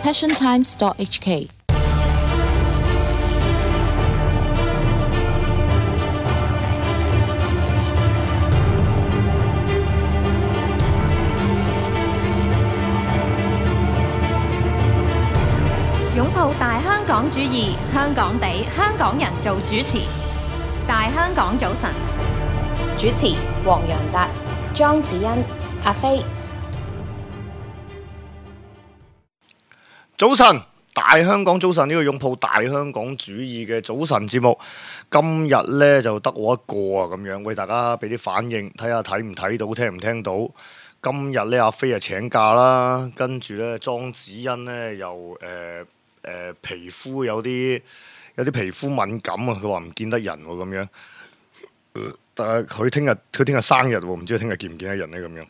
passiontimes.hk。擁抱大香港主義，香港地，香港人做主持。大香港早晨，主持黃洋達、莊子欣、阿飛。早晨，大香港早晨，呢個擁抱大香港主義嘅早晨節目，今日呢就得我一個啊，咁樣為大家俾啲反應，睇下睇唔睇到，聽唔聽到。今日呢，阿飛啊請假啦，跟住呢，莊子欣呢又皮膚有啲皮膚敏感啊，佢話唔見得人喎咁樣。但係佢聽日生日喎，唔知佢聽日見唔見得人呢？咁樣。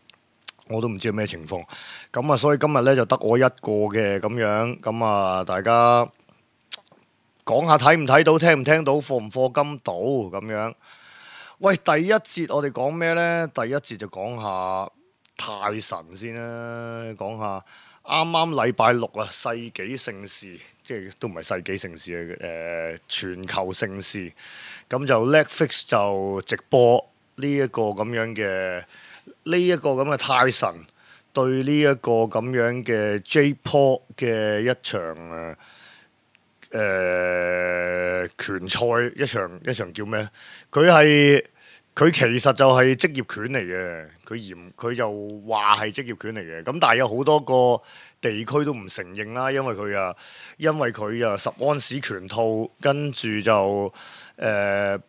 我都唔知係咩情況，咁啊，所以今日咧就得我一個嘅咁樣，咁啊，大家講下睇唔睇到，聽唔聽到，課唔課金到咁樣。喂，第一節我哋講咩呢？第一節就講下泰神先啦，講下啱啱禮拜六啊，世紀盛事，即係都唔係世紀盛事嘅，全球盛事，咁就 Netflix 就直播呢一個咁樣嘅。呢一個咁嘅泰神對呢一個咁樣嘅 J-Pop 嘅一場拳賽，一場叫咩？佢其實就係職業拳嚟嘅，佢就話係職業拳嚟嘅。咁但係有好多個地區都唔承認啦，因為佢啊10安士拳套，跟住就8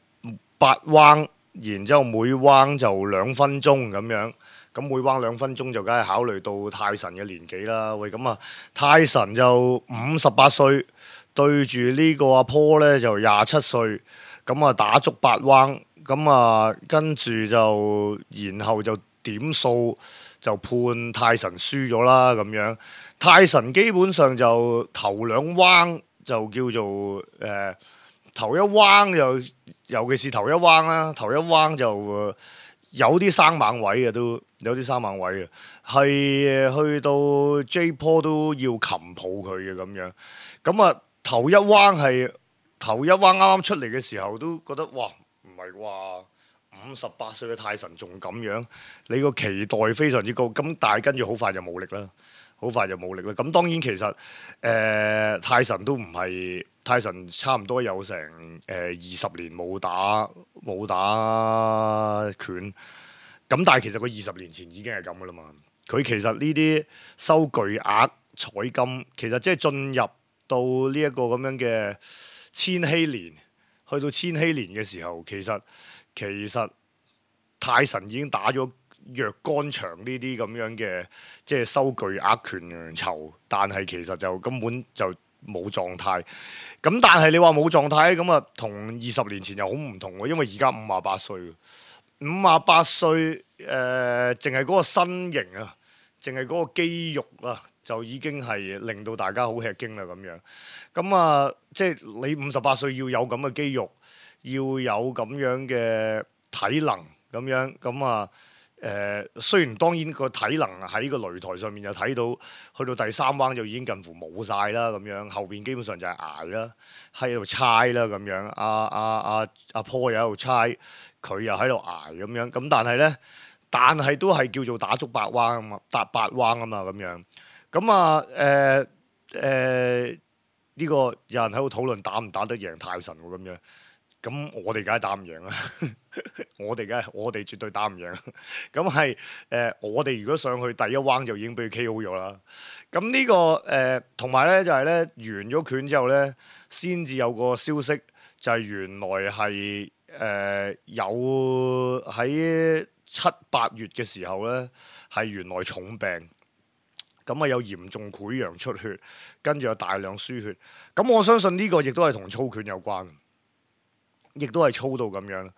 彎。然之後每彎就2分鐘咁樣，咁每彎2分鐘就梗係考慮到泰神嘅年紀啦。喂，咁啊，泰神就58歲，對住呢個阿坡呢就27歲，咁啊打足8彎，咁啊跟住就然後就點數就判泰神輸咗啦咁樣。泰神基本上就頭2彎就叫做頭一彎就。尤其是頭一彎啦，頭一彎就有啲生猛位嘅，都有啲生猛位嘅，係去到 J-Paul 都要擒抱佢嘅咁樣。咁啊，頭一彎啱啱出嚟嘅時候都覺得哇，唔係啩，58歲嘅泰神仲咁樣，你個期待非常之高。咁但係跟住好快就冇力啦。咁當然其實泰神都唔係泰神，差唔多有成20年冇打拳。咁但係其實佢20年前已經係咁噶啦嘛。佢其實呢啲收巨額彩金，其實即係進入到呢一個咁樣嘅千禧年，去到千禧年嘅時候，其實泰神已經打咗若干場呢啲咁樣嘅，即係收巨額拳酬，但係其實就根本就冇狀態。咁但係你話冇狀態咁啊，同20年前又好唔同喎，因為而家58歲，58歲淨係嗰個身形啊，淨係嗰個肌肉啊，就已經係令到大家好吃驚啦咁樣。咁啊，即係你58歲要有咁嘅肌肉，要有咁樣嘅體能咁樣，咁啊。雖然當然個體能喺個擂台上面就睇到，去到第3彎就已經近乎冇晒啦咁樣，後邊基本上就係捱啦，喺度猜啦咁樣，阿坡又喺度猜，佢又喺度捱咁樣，咁但係都係叫做打足8彎啊嘛，打8彎啊嘛咁樣，咁啊呢個有人喺度討論打唔打得贏泰神喎咁樣。咁我哋梗係打唔贏啦，我哋絕對打唔贏。咁係我哋如果上去第一彎就已經俾佢 KO 咗啦。咁呢個同埋咧就係咧完咗拳之後咧，先至有個消息，就係原來係有喺7、8月嘅時候咧，係原來重病。咁啊有嚴重潰瘍出血，跟住有大量輸血。咁我相信呢個亦都係同操拳有關。亦都係操到咁樣，咁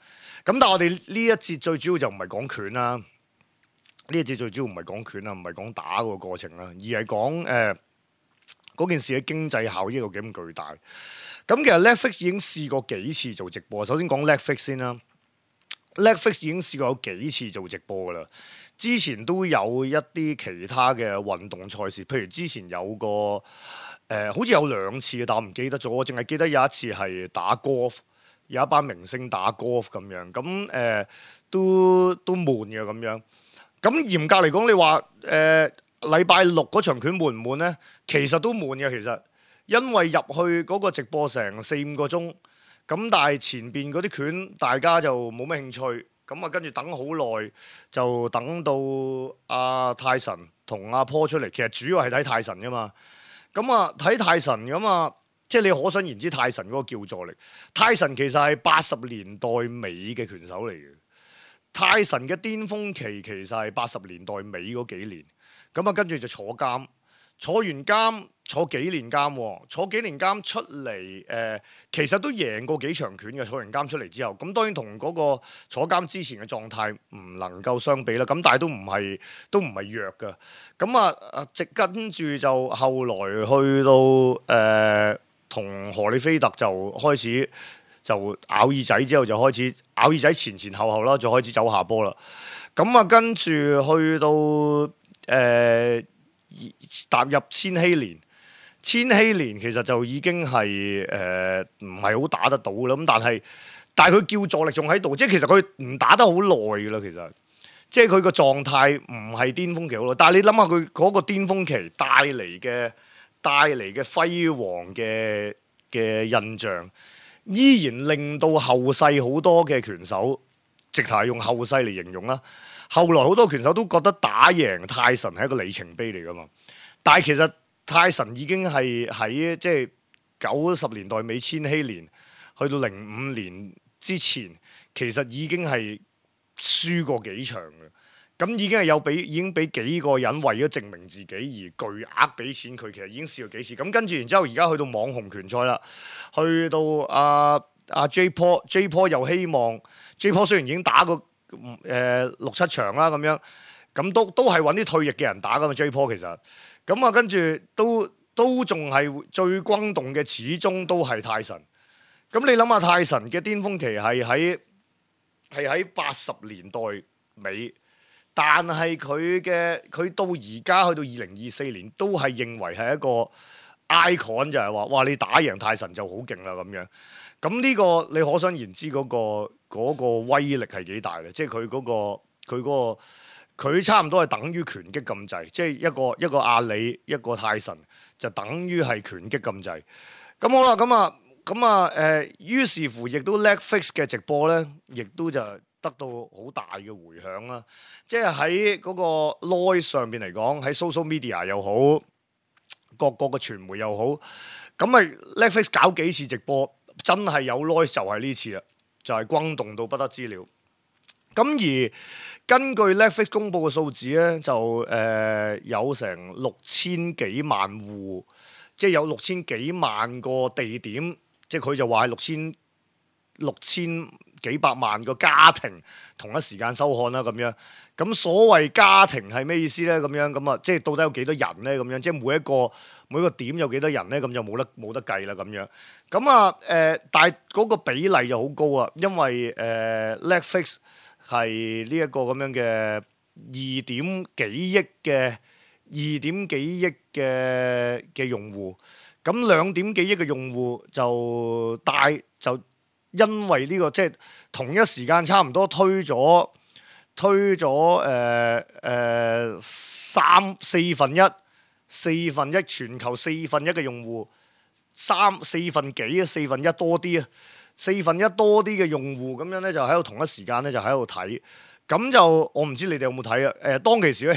但係我哋呢一節最主要就唔係講拳啦，呢一節最主要唔係講拳啦，唔係講打個過程啦，而係講嗰件事嘅經濟效益有幾咁巨大。咁其實 Netflix 已經試過幾次做直播，首先講 Netflix 先啦。Netflix 已經試過有幾次做直播噶啦。之前都有一啲其他嘅運動賽事，譬如之前有個好似有2次嘅，但我唔記得咗。我淨係記得有一次係打 golf， 有一班明星打 golf 咁樣。咁都悶嘅咁樣。咁嚴格嚟講，你話禮拜六嗰場拳悶唔悶咧？其實都悶嘅，其實因為入去嗰個直播成4-5個鐘，咁但係前邊嗰啲拳大家就冇咩興趣。咁啊，跟住等好耐，就等到阿泰神同阿坡出嚟。其實主要係睇泰神噶嘛。咁啊，睇泰神咁啊，即係你可想而知泰神嗰個叫座力。泰神其實係80年代尾嘅拳手嚟嘅。泰神嘅巔峰期其實係80年代尾嗰幾年。咁啊，跟住就坐監，坐完監坐幾年監喎，坐幾年監出嚟其實都贏過幾場拳嘅。坐完監出嚟之後，咁當然同嗰個坐監之前嘅狀態唔能夠相比啦。咁但係都唔係弱㗎。咁啊，跟住就後來去到同荷里菲特就開始就咬耳仔，之後就開始咬耳仔前後啦，就開始走下坡啦。咁啊，跟住去到踏入千禧年其實就已經係唔係好打得到啦。咁但係佢叫座力仲喺度，即係其實佢唔打得好耐㗎啦。其實即係佢個狀態唔係巔峰期好耐，但係你諗下佢嗰個巔峰期帶嚟嘅輝煌嘅印象，依然令到後世好多嘅拳手直頭係用後世嚟形容啦。後來好多拳手都覺得打贏泰神係一個里程碑嚟㗎嘛，但係其實泰神已經係喺即係90年代尾千禧年去到05年之前，其實已經係輸過幾場嘅，咁已經係已經俾幾個人為咗證明自己而巨額俾錢佢，其實已經試過幾次。咁跟住然之後而家去到網紅拳賽啦，去到阿 J Paul 又希望 J Paul 雖然已經打過6-7場啦咁樣，咁都係揾啲退役嘅人打噶嘛 J Paul 其實，咁啊跟住都仲係最轟動嘅，始終都係泰神。咁你諗下泰神嘅巔峰期係喺80年代尾，但係佢到而家去到2024年都係認為係一個 icon， 就係話哇你打贏泰神就好勁啦咁樣。咁呢個你可想而知嗰個威力係幾大嘅，即係佢差唔多係等於拳擊咁滯，即係一個阿里一個泰神就等於係拳擊咁滯。咁好啦，咁啊於是乎亦都 Netflix 嘅直播咧，亦都就得到好大嘅迴響啦。即係喺嗰個 noise 上邊嚟講，喺 social media 又好，各個嘅傳媒又好，咁咪 Netflix 搞幾次直播，真係有 noise 就係呢次啦，就係轟動到不得之了。咁而根據 Netflix 公佈嘅數字咧，就有成6000幾萬戶，即係有6000幾萬個地點，即係佢就話係6000幾百萬個家庭同一時間收看啦咁樣。咁所謂家庭係咩意思咧？咁啊，即係到底有幾多人咧？咁樣即係每一個點有幾多人咧？咁就冇得計啦咁樣。咁啊但係嗰個比例就好高啊，因為Netflix 係呢一個咁樣嘅2點幾億嘅用戶，咁2點幾億嘅用戶就因為呢個即係同一時間差唔多推咗四分一全球4分1嘅用戶，四分一多啲啊，四分一多啲嘅用戶咁樣咧，就喺度同一時間咧就喺度睇，咁就我唔知你哋有冇睇啊？當其時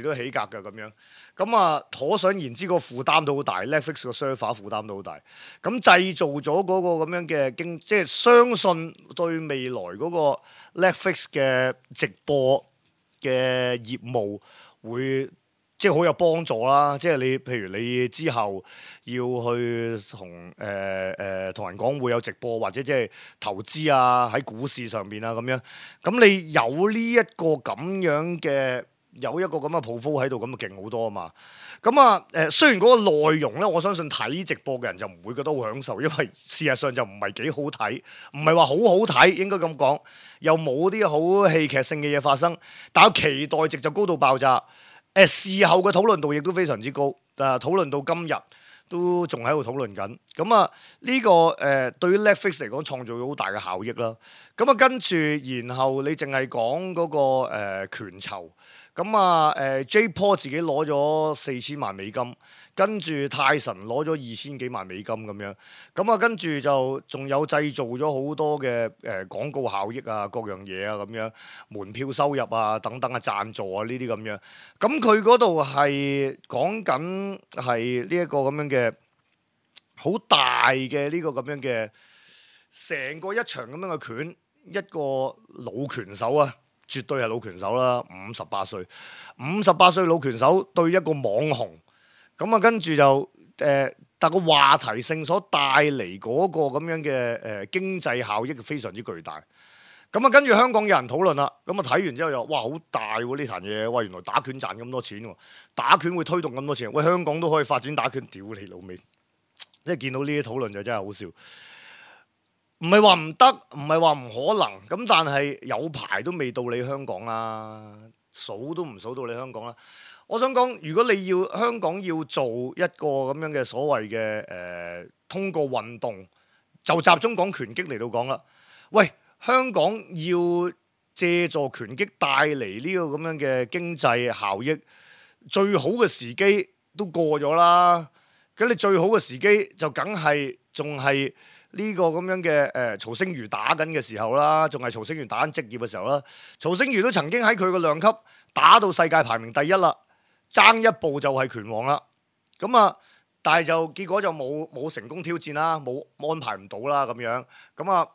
都起格嘅咁樣，咁啊可想而知個負擔都好大 ，Netflix 個 server 負擔都好大，咁製造咗嗰個咁樣嘅即係相信對未來嗰個 Netflix 嘅直播嘅業務會即係好有幫助啦。即係你譬如你之後要去同人講會有直播，或者即係投資啊喺股市上邊啊咁樣，咁你有呢一個咁樣嘅有一個咁嘅鋪夫喺度，咁就勁好多啊嘛。咁啊雖然嗰個內容咧，我相信睇直播嘅人就唔會覺得好享受，因為事實上就唔係幾好睇，唔係話好好睇，應該咁講，又冇啲好戲劇性嘅嘢發生，但係期待值就高到爆炸。事後嘅討論度亦都非常之高，討論到今日都仲喺度討論緊。咁啊呢個對於 Netflix 嚟講創造咗好大嘅效益啦。咁啊跟住，然後你淨係講嗰個拳籌，咁啊J Paul 自己攞咗4000萬美金，跟住泰神攞咗2000幾萬美金咁樣。咁啊跟住就仲有製造咗好多嘅廣告效益啊，各樣嘢啊咁樣，門票收入啊等等啊，贊助啊呢啲咁樣。咁佢嗰度係講緊係呢一個咁樣嘅好大嘅呢個咁樣嘅成個一場咁樣嘅拳，一個老拳手啊，絕對係老拳手啦，58歲，58歲老拳手對一個網紅，咁啊跟住就但個話題性所帶嚟嗰個咁樣嘅經濟效益非常之巨大。咁啊跟住香港有人討論啦，咁啊睇完之後又哇好大喎呢壇嘢，哇原來打拳賺咁多錢喎，打拳會推動咁多錢，喂香港都可以發展打拳，屌你老味！即係見到呢啲討論就真係好笑，唔係話唔得，唔係話唔可能，咁但係有排都未到你香港啦，數都唔數到你香港啦。我想講，如果你要香港要做一個咁樣嘅所謂嘅通過運動，就集中講拳擊嚟到講啦。喂，香港要借助拳擊帶嚟呢個咁樣嘅經濟效益，最好嘅時機都過咗啦。咁你最好嘅時機就梗係仲係呢個咁樣嘅曹星如打緊嘅時候啦，仲係曹星如打緊職業嘅時候啦。曹星如都曾經喺佢個量級打到世界排名第一啦，爭一步就係拳王啦。咁啊，但係就結果就冇成功挑戰啦，冇安排唔到啦咁樣。咁啊，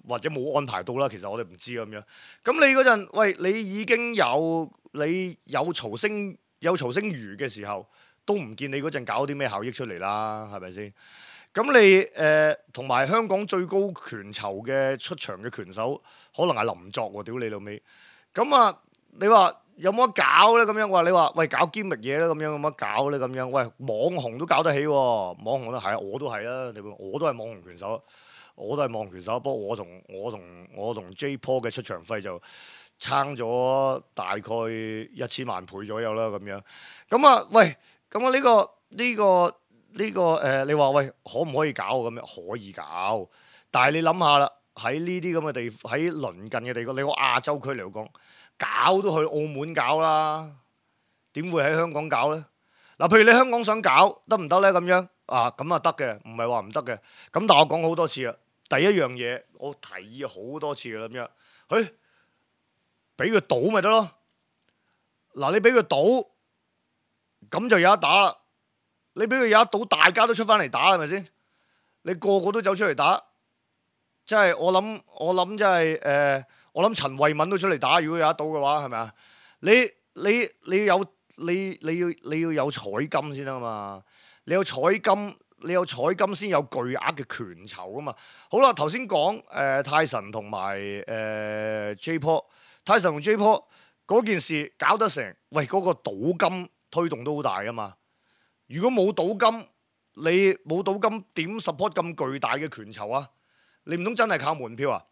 或者冇安排到啦，其實我哋唔知咁樣。咁你嗰陣，喂，你已經有曹星如嘅時候，都唔見你嗰陣搞啲咩效益出嚟啦，係咪先？咁你同埋香港最高拳籌嘅出場嘅拳手，可能係林作喎，屌你老味！咁啊，你話有冇得搞咧？咁樣話你話喂搞堅密嘢咧，咁樣有冇得搞咧？咁樣喂網紅都搞得起喎，網紅都係啊，我都係啦，我都係網紅拳手，我都係網紅拳手。不過我同 J Paul 嘅出場費就撐咗大概1000萬倍左右啦，咁樣。咁啊，喂！咁啊呢個你話喂可唔可以搞咁樣？可以搞，但係你諗下啦，喺呢啲咁嘅地，喺鄰近嘅地方，你個亞洲區嚟講，搞都去澳門搞啦，點會喺香港搞咧？嗱，譬如你香港想搞得唔得咧？咁樣啊，咁啊得嘅，唔係話唔得嘅。咁但係我講好多次啦，第一樣嘢我提議好多次啦，咁樣，俾佢賭咪得咯。嗱，你俾佢賭。咁就有得打啦！你俾佢有得賭，大家都出翻嚟打，係咪先？你個個都走出嚟打，即係我諗即係我諗陳慧敏都出嚟打。如果有得賭嘅話，係咪啊？你要有彩金先啊嘛！你有彩金先有巨額嘅拳籌啊嘛！好啦，頭先講泰神同埋J Paul， 泰神同 J Paul 嗰件事搞得成，喂嗰個賭金推動都好大噶嘛！如果冇賭金，你冇賭金點 support 咁巨大嘅拳籌啊？你唔通真係靠門票啊？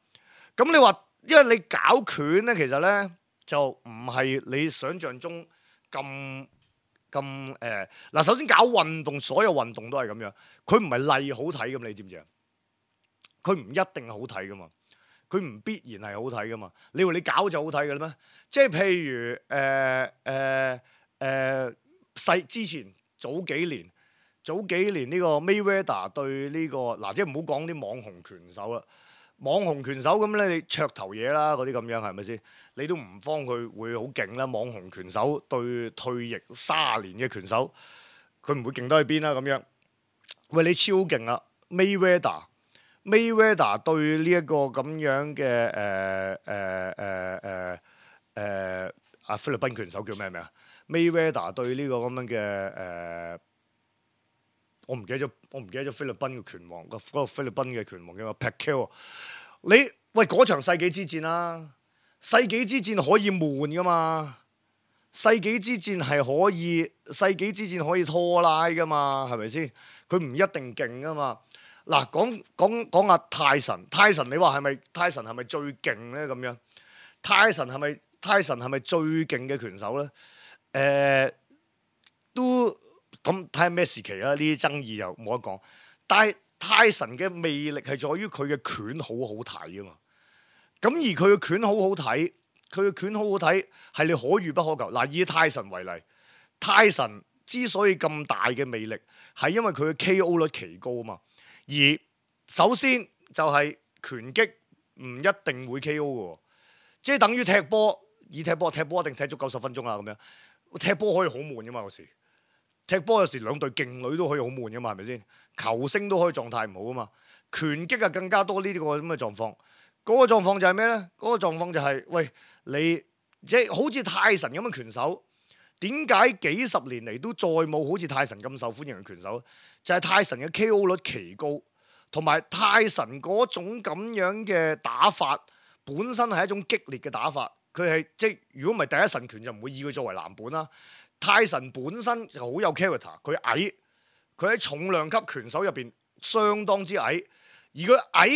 咁你話，因為你搞拳咧，其實咧就唔係你想象中咁嗱。首先搞運動，所有運動都係咁樣，佢唔係例好睇咁，你知唔知啊？佢唔一定好睇噶嘛，佢唔必然係好睇噶嘛。你話你搞就好睇嘅啦咩？即係譬如之前早幾年呢個 Mayweather 對呢個嗱，即係唔好講啲網紅拳手啦，網紅拳手咁咧，你噱頭嘢啦，嗰啲咁樣係咪先？你都唔方佢會好勁啦。網紅拳手對退役30年嘅拳手，佢唔會勁得去邊啦咁樣。喂，你超勁啊 Mayweather 對呢一個咁樣嘅菲律賓拳手叫咩名啊？Mayweather 對呢個咁樣嘅我唔記得咗菲律賓嘅拳王，嗰個菲律賓嘅拳王叫 Pacquiao。你喂嗰場世紀之戰啦，世紀之戰可以悶噶嘛？世紀之戰可以拖拉噶嘛，係咪先？佢唔一定勁噶嘛。嗱，講下泰神，你話係咪泰神係咪最勁咧？咁樣，泰神係咪最勁嘅拳手咧？都咁睇下咩時期啦，呢啲爭議又冇得講。但係泰神嘅魅力係在於佢嘅拳好好睇啊嘛。咁而佢嘅拳好好睇，係你可遇不可求。嗱，以泰神為例，泰神之所以咁大嘅魅力，係因為佢嘅 KO 率奇高啊嘛。而首先就係拳擊唔一定會 KO 嘅，即係等於踢波，踢波一定踢足90分鐘啦咁樣。踢波可以好悶噶嘛，有時踢波有時兩隊勁旅都可以好悶噶嘛，係咪先？球星都可以狀態唔好啊嘛。拳擊啊更加多呢啲個咁嘅狀況。嗰個狀況就係咩咧？嗰個狀況就係，喂，你即係好似泰神咁嘅拳手，點解幾十年嚟都再冇好似泰神咁受歡迎嘅拳手？就係泰神嘅 KO 率奇高，同埋泰神嗰種咁樣嘅打法本身係一種激烈嘅打法。佢係即係如果唔係第一神拳就唔會以佢作為藍本啦。泰神本身就好有 character， 佢矮，佢喺重量級拳手入邊相當之矮，而佢矮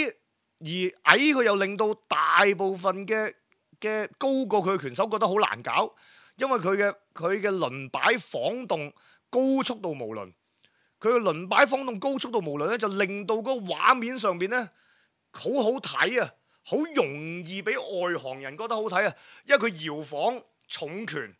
佢又令到大部分嘅高過佢嘅拳手覺得好難搞，因為佢嘅輪擺晃動高速度無倫，佢嘅輪擺晃動高速度無倫咧，就令到個畫面上邊咧好好睇啊，好容易俾外行人覺得好睇啊，因為佢搖晃重拳，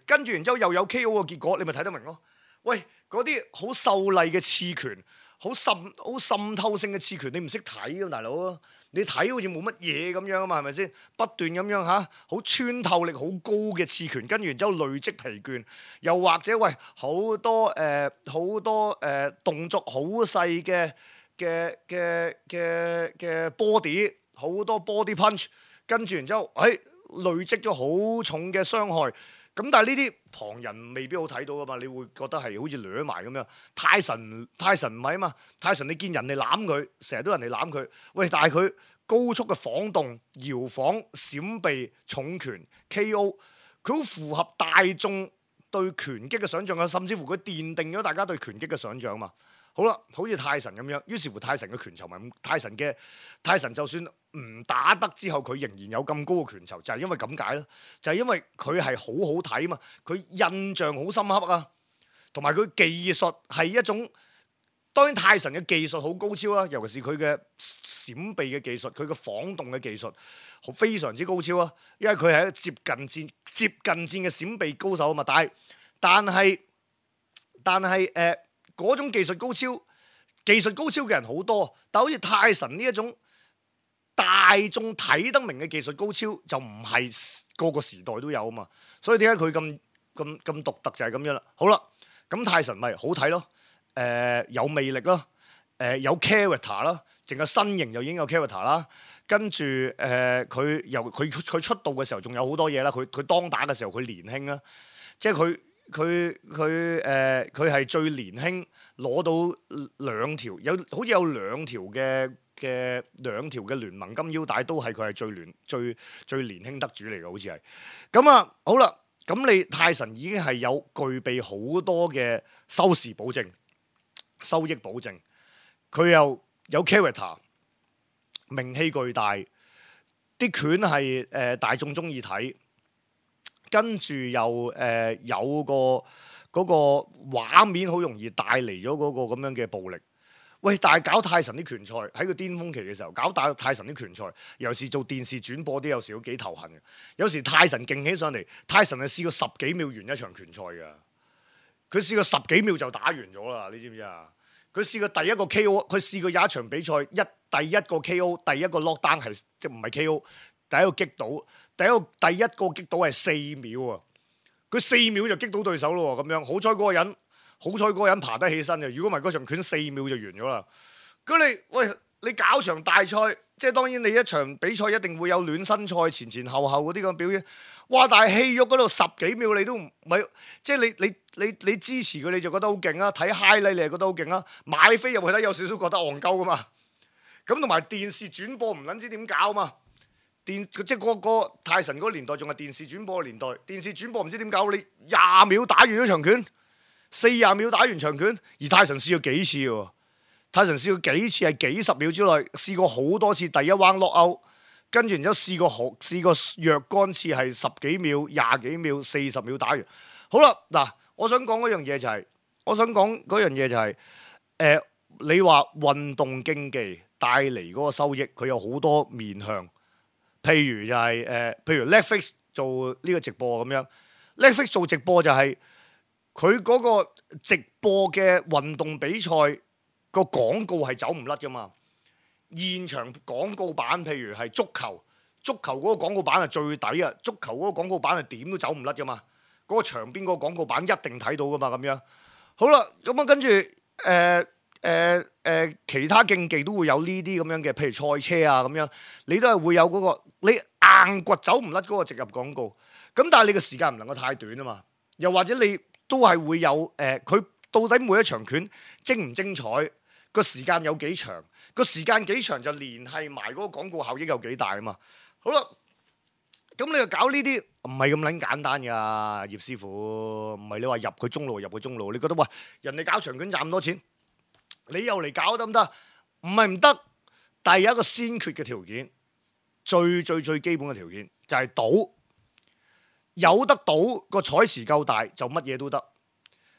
跟住然之後又有 KO 嘅結果，你咪睇得明咯。喂，嗰啲好秀麗嘅刺拳，好滲透性嘅刺拳，你唔識睇㗎大佬，你睇好似冇乜嘢咁樣啊嘛，係咪先？不斷咁樣好穿透力好高嘅刺拳，跟住然之後累積疲倦，又或者喂好多動作好細嘅 body， 好多 body punch， 跟住然之後累積咗好重嘅傷害。咁但係呢啲旁人未必好睇到噶嘛，你會覺得係好似掠埋咁樣。泰神唔係啊嘛，泰神你見人哋攬佢，成日都人哋攬佢，喂，但係佢高速嘅晃動、搖晃、閃避、重拳、KO， 佢好符合大眾對拳擊嘅想像啊，甚至乎佢奠定咗大家對拳擊嘅想像嘛。好啦，好似泰神咁樣，於是乎泰神嘅拳頭咪泰神就算唔打得之後，佢仍然有咁高嘅拳頭，就係因為咁解咯，就係因為佢係好好睇嘛，佢印象好深刻啊，同埋佢技術係一種，當然泰神嘅技術好高超啦，尤其是佢嘅閃避嘅技術，佢嘅晃動嘅技術非常之高超啊，因為佢係一個接近戰嘅閃避高手啊嘛，但係嗰種技術高超嘅人好多，但好似泰神呢一種大眾睇得明嘅技術高超，就唔係個個時代都有啊嘛。所以點解佢咁獨特就係咁樣啦。好啦，咁泰神咪好睇咯，有魅力咯，有 character 啦，淨係身形就已經有 character 啦。跟住佢出道嘅時候仲有好多嘢啦。佢當打嘅時候佢年輕啦，即係佢係最年輕攞到好似有兩條嘅聯盟金腰帶，都係佢係最年輕得主嚟嘅，好似係。咁啊，好啦，咁你泰神已經係有具備好多嘅收益保證，佢又有 character， 名氣巨大，啲拳係大眾中意睇。跟住又有嗰個畫面，好容易帶嚟咗嗰個咁樣嘅暴力。喂，但係搞泰神啲拳賽喺個巔峰期嘅時候，搞泰神啲拳賽，尤其是做電視轉播啲，有時都幾頭痕嘅。有時泰神勁起上嚟，泰神係試過10幾秒完一場拳賽㗎。佢試過10幾秒就打完咗啦，你知唔知啊？佢試過第一個 KO， 佢試過有一場比賽第一個 KO， 第一個 lockdown 係即唔係 KO。第一個擊倒，第一個擊倒係4秒啊！佢4秒就擊倒對手咯，咁樣好彩嗰個人爬得起身嘅，如果唔係嗰場拳4秒就完咗啦。咁你搞場大賽，即係當然你一場比賽一定會有暖身賽前後嗰啲咁表演。哇！但係戲肉嗰度10幾秒你都唔係，即係你支持佢你就覺得好勁啊！睇 highlight 你係覺得好勁啊！買飛入去睇有少少覺得戇鳩噶嘛。咁同埋電視轉播唔撚知點搞嘛。即係個泰神嗰個年代仲係電視轉播嘅年代，電視轉播唔知點搞，你20秒打完咗場拳，40秒打完場拳，而泰神試過幾次喎？泰神試過幾次係幾十秒之內，試過好多次第一彎落勾，跟住然之後試過若干次係10幾秒、20幾秒、40秒打完。好啦，嗱，我想講嗰樣嘢就係，你話運動競技帶嚟嗰個收益，佢有好多面向。譬如就係譬如 Netflix 做呢個直播咁樣 ，Netflix 做直播就係佢嗰個直播嘅運動比賽個廣告係走唔甩噶嘛。現場廣告版譬如係足球嗰個廣告版係最抵啊！足球嗰個廣告版係點都走唔甩噶嘛。嗰個場邊嗰個廣告版一定睇到噶嘛咁樣。好啦，咁啊跟住其他競技都會有呢啲咁樣嘅，譬如賽車啊咁樣，你都係會有嗰個你硬掘走唔甩嗰個植入廣告。咁但係你個時間唔能夠太短啊嘛。又或者你都係會有佢到底每一場拳精唔精彩？個時間有幾長？個時間幾長就連係埋嗰個廣告效益有幾大啊嘛。好啦，咁你又搞呢啲唔係咁撚簡單㗎，葉師傅，唔係你話入佢中路，你覺得哇，人哋搞長拳賺咁多錢，你又嚟搞得唔得？唔係唔得，但係有一個先決嘅條件，最基本嘅條件就係賭，有得賭個彩池夠大就乜嘢都得，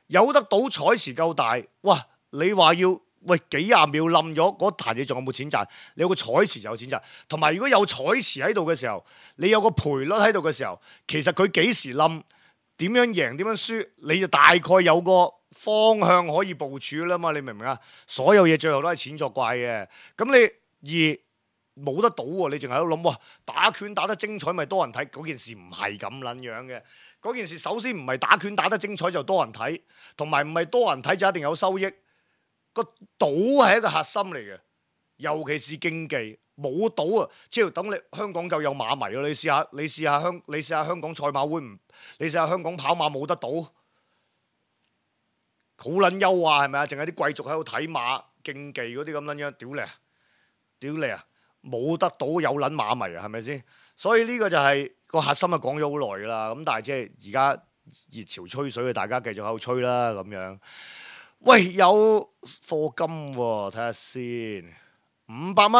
有得賭彩池夠大，哇！你話要幾廿秒冧咗嗰壇嘢，仲有冇錢賺？你有個彩池就有錢賺，同埋如果有彩池喺度嘅時候，你有個賠率喺度嘅時候，其實佢幾時冧，點樣贏，點樣輸，你就大概有個方向可以部署啦嘛，你明唔明啊？所有嘢最後都係錢作怪嘅。咁你冇得賭喎，你淨係喺度諗，哇！打拳打得精彩咪多人睇，嗰件事唔係咁撚樣嘅。嗰件事首先唔係打拳打得精彩就多人睇，同埋唔係多人睇就一定有收益。個賭係一個核心嚟嘅，尤其是競技冇賭啊！只要等你香港夠有馬迷咯，你試下香港賽馬會唔？你試下香港跑馬冇得賭，好撚優啊，係咪啊？淨係啲貴族喺度睇馬競技嗰啲咁撚樣，屌你啊！冇得賭有撚馬迷啊，係咪先？所以呢個就係個核心啊，講咗好耐噶啦。咁但係即係而家熱潮吹水，大家繼續喺度吹啦咁樣。喂，有課金喎，睇下先，500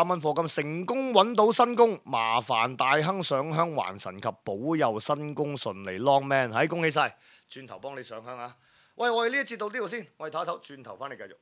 蚊課金，成功揾到新工，麻煩大亨上香還神及保佑新工順利 ，Long man，恭喜晒，轉頭幫你上香啊！喂，我哋呢一節到呢度先，我哋唞一唞，轉頭翻嚟繼續。